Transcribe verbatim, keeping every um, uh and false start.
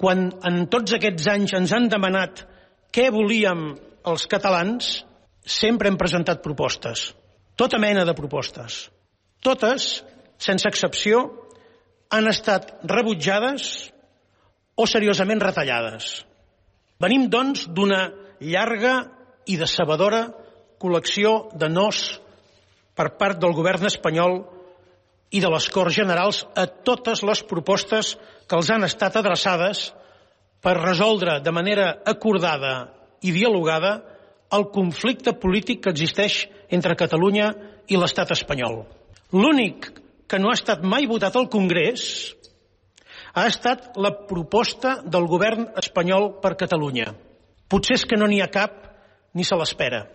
quan en tots aquests anys ens han demanat què volíem els catalans, sempre hem presentat propostes. Tota mena de propostes. Totes, sense excepció, han estat rebutjades o seriosament retallades. Venim, doncs, d'una llarga i decebedora col·lecció de nos per part del govern espanyol i de les Corts Generals a totes les propostes que els han estat adreçades per resoldre de manera acordada i dialogada el conflicte polític que existeix entre Catalunya i l'estat espanyol. L'únic que no ha estat mai votat al Congrés ha estat la proposta del govern espanyol per Catalunya. Potser és que no n'hi ha cap ni se l'espera.